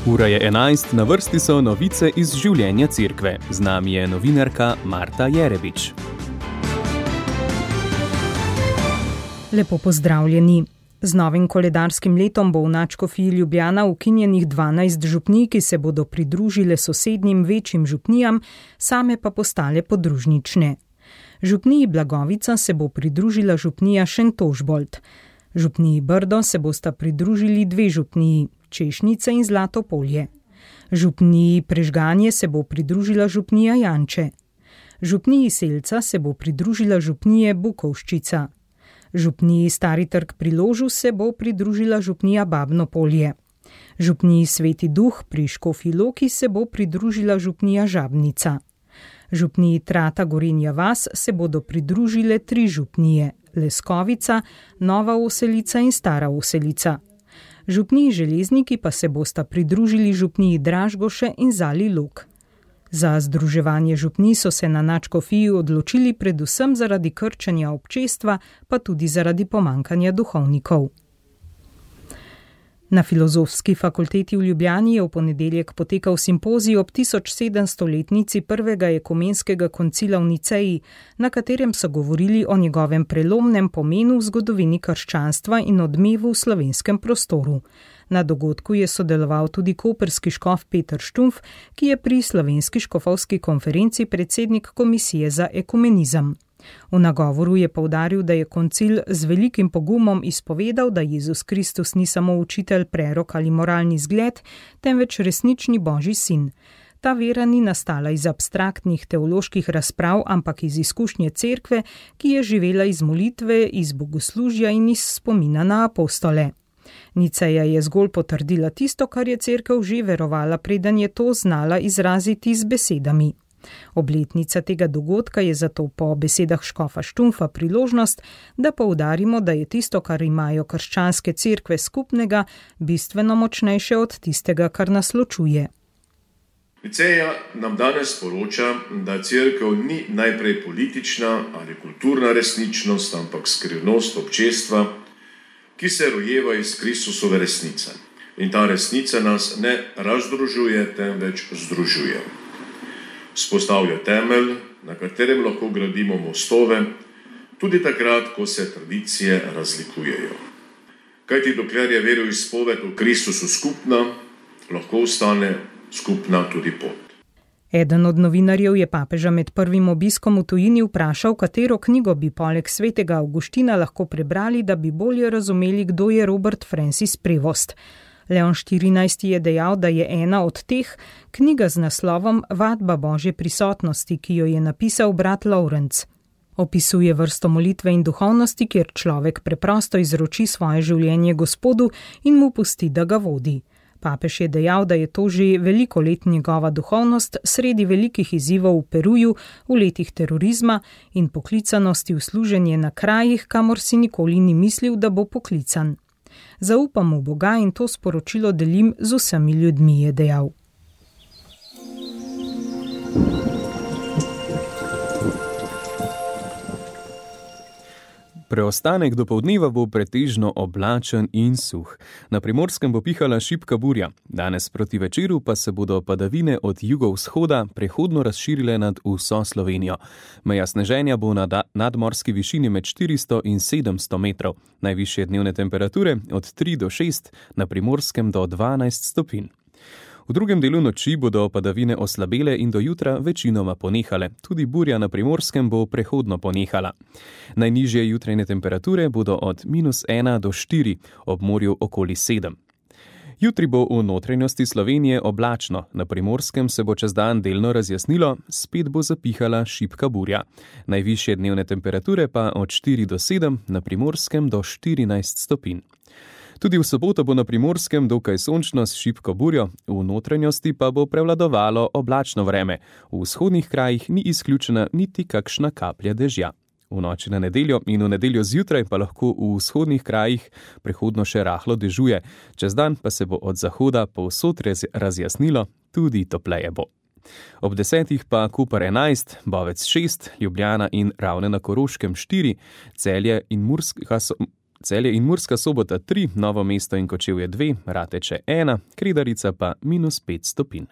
Ura je 11, na vrsti so novice iz življenja cerkve. Z nami je novinarka Marta Jerebič. Lepo pozdravljeni. Z novim koledarskim letom bo v nadškofiji Ljubljana ukinjenih 12 župnij, ki se bodo pridružile sosednjim večjim župnijam, same pa postale podružnične. Župniji Blagovica se bo pridružila župnija Šentožbold. Župniji Brdo se bosta pridružili 2 župniji, Češnice in Zlatopolje. Župniji Prežganje se bo pridružila župnija Janče. Župniji Selca se bo pridružila župnije Bukovščica. Župniji Stari trg pri Ložu se bo pridružila župnija Babno Polje. Župniji Sveti Duh pri Škofji Loki se bo pridružila župnija Žabnica. Župniji Trata Gorenja vas se bodo pridružile 3 župnije, Leskovica, Nova Oselica in Stara Oselica. Župniji Železniki pa se bosta pridružili župniji Dražgoše in Zali Log. Za združevanje župnij so se na nadškofiji odločili predvsem zaradi krčenja občestva, pa tudi zaradi pomanjkanja duhovnikov. Na Filozofski fakulteti v Ljubljani je v ponedeljek potekal simpozij ob 1700-letnici prvega ekumenskega koncila v Niceji, na katerem so govorili o njegovem prelomnem pomenu v zgodovini krščanstva in odmevu v slovenskem prostoru. Na dogodku je sodeloval tudi koprski škof Peter Štumpf, ki je pri Slovenski škofovski konferenci predsednik komisije za ekumenizem. V nagovoru je poudaril, da je koncil z velikim pogumom izpovedal, da Jezus Kristus ni samo učitelj, prerok ali moralni zgled, temveč resnični Božji sin. Ta vera ni nastala iz abstraktnih teoloških razprav, ampak iz izkušnje cerkve, ki je živela iz molitve, iz bogoslužja in iz spomina na apostole. Niceja je zgolj potrdila tisto, kar je cerkev že verovala, preden je to znala izraziti z besedami. Obletnica tega dogodka je zato po besedah škofa Štumpfa priložnost, da poudarimo, da je tisto, kar imajo krščanske cerkve skupnega, bistveno močnejše od tistega, kar nas ločuje. Niceja nam danes sporoča, da cerkev ni najprej politična ali kulturna resničnost, ampak skrivnost občestva, ki se rojeva iz Kristusove resnice. In ta resnica nas ne razdružuje, temveč združuje. Vzpostavlja temelj, na katerem lahko gradimo mostove, tudi takrat, ko se tradicije razlikujejo. Kajti dokler je veroizpoved v Kristusu skupna, lahko ostane skupna tudi pot. Eden od novinarjev je papeža med prvim obiskom v tujini vprašal, katero knjigo bi poleg svetega Avguština lahko prebrali, da bi bolje razumeli, kdo je Robert Francis Prevost. Leon XIV. Je dejal, da je ena od teh knjiga z naslovom Vadba Božje prisotnosti, ki jo je napisal brat Lawrence. Opisuje vrsto molitve in duhovnosti, kjer človek preprosto izroči svoje življenje Gospodu in mu pusti, da ga vodi. Papež je dejal, da je to že veliko let njegova duhovnost sredi velikih izzivov v Peruju, v letih terorizma in poklicanosti v služenje na krajih, kamor si nikoli ni mislil, da bo poklican. Zaupam v Boga in to sporočilo delim z vsemi ljudmi, je dejal. Preostanek dopoldneva bo pretežno oblačen in suh. Na Primorskem bo pihala šibka burja. Danes proti večeru pa se bodo padavine od jugovzhoda prehodno razširile nad vso Slovenijo. Meja sneženja bo na nadmorski višini med 400 in 700 metrov. Najvišje dnevne temperature od 3 do 6, na Primorskem do 12 stopinj. V drugem delu noči bodo padavine oslabele in do jutra večinoma ponehale. Tudi burja na Primorskem bo prehodno ponehala. Najnižje jutrajne temperature bodo od -1 do 4, ob morju okoli 7. Jutri bo v notranjosti Slovenije oblačno, na Primorskem se bo čez dan delno razjasnilo, spet bo zapihala šibka burja. Najvišje dnevne temperature pa od 4 do 7, na Primorskem do 14 stopinj. Tudi v soboto bo na Primorskem dokaj sončno s šibko burjo, v notranjosti pa bo prevladovalo oblačno vreme. V vzhodnih krajih ni izključena niti kakšna kaplja dežja. V noči na nedeljo in v nedeljo zjutraj pa lahko v vzhodnih krajih prehodno še rahlo dežuje. Čez dan pa se bo od zahoda povsod razjasnilo, tudi topleje bo. Ob 10 pa Koper 11, Bovec 6, Ljubljana in Ravne na Koroškem 4, Celje in Celje in Murska Sobota 3, Novo mesto in Kočevje 2, Rateče 1, Kredarica pa -5 stopinj.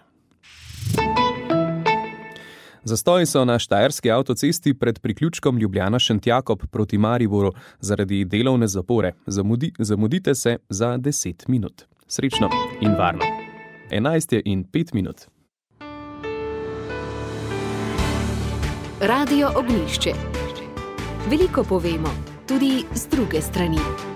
Zastoji so na štajerski avtocesti pred priključkom Ljubljana-Šentjakob proti Mariboru zaradi delovne zapore. Zamudite se za 10 minut. Srečno in varno. 11:05. Radio Ognjišče. Veliko povemo, tudi z druge strani.